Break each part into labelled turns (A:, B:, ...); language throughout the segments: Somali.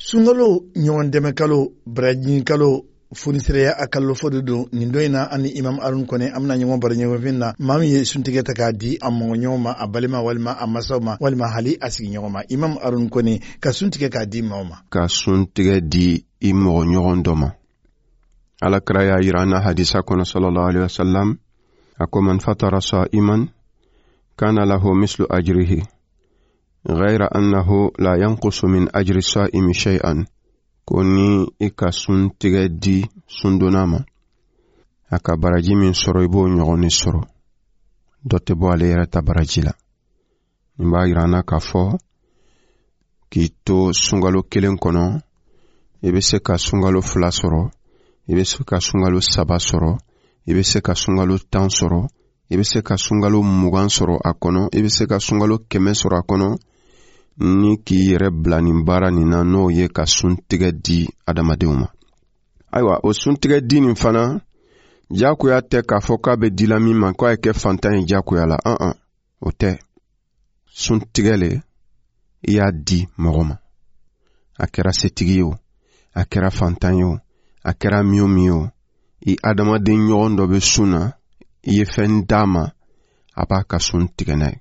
A: Sunkalo ɲɔgɔn dɛmɛ kalo, baraji kalo, fonisireya a kalo fɔ de don. Nin don in na, an ni Imam Arun Kɔnɛ, an bɛna ɲɔgɔn baro ɲɔgɔnfin na, maa min ye suntigɛ ta k'a di a mɔgɔɲɔgɔn ma, a balima walima a masaw ma, walima hali a sigiɲɔgɔn ma. Imam Arun Kɔnɛ, ka suntigɛ k'a di maaw ma.
B: Ka suntigɛ di i mɔgɔɲɔgɔn dɔ ma, Ala kira y'a yira an na hadisa kɔnɔ, sallallahu alaihi wasallam, a ko: man fatara sa'iman kana lahu mislu ajrihi ghayra annahu la yanqusu min ajri sa'imi shay'an. Ko ni i ka suntigɛ di sundonna ma, a ka baraji min sɔrɔ, i b'o ɲɔgɔn de sɔrɔ, dɔ tɛ bɔ ale yɛrɛ ta baraji la. Nin b'a yira an na k'a fɔ k'i to sunkalo kelen kɔnɔ, i bɛ se ka sunkalo 2 sɔrɔ, i bɛ se ka sunkalo 3 sɔrɔ, i bɛ se ka sunkalo 10 sɔrɔ, i bɛ se ka sunkalo 20 sɔrɔ a kɔnɔ, i bɛ se ka sunkalo 100 sɔrɔ a kɔnɔ, ni k'i yɛrɛ bila nin baara nin na, n'o ye ka suntigɛ di adamadenw ma. Ayiwa, o suntigɛ di nin fana, jagoya tɛ k'a fɔ k'a bɛ dila min ma k'a ye kɛ fantan ye jagoya la. An an, o tɛ. Suntigɛ le, i y'a di mɔgɔ ma, a kɛra setigi ye o, a kɛra fantan ye o, a kɛra min o min ye o, i adamaden ɲɔgɔn dɔ bɛ sun na, i ye fɛn d'a ma, a b'a ka sun tigɛ n'a ye.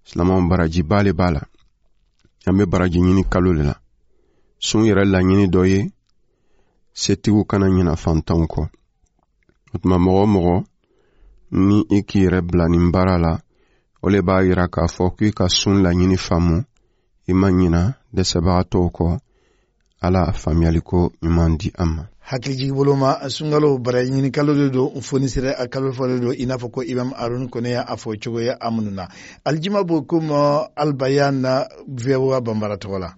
B: Silamɛw, barajiba le b'a la. An bɛ baraji ɲini kalo le la. Sun yɛrɛ laɲini dɔ ye setigiw kana ɲina fantanw kɔ. O tuma, mɔgɔ o mɔgɔ ni i k'i yɛrɛ bila nin baara la, o le b'a yira k'a fɔ k'i ka sun laɲini faamu, i ma ɲina dɛsɛbagatɔw kɔ. Ala faamuyaliko ɲuman di an ma.
A: Hakilijigi bolo ma, sunkalo baraji ɲini kalo de don, fonisire a kalo fɔ de don, i n'a fɔ ko Imam Arun Kɔnɛ y'a fɔ cogoya a minnu na. Alijima bo ko ma albayan na VOA Banbara tɔgɔ la.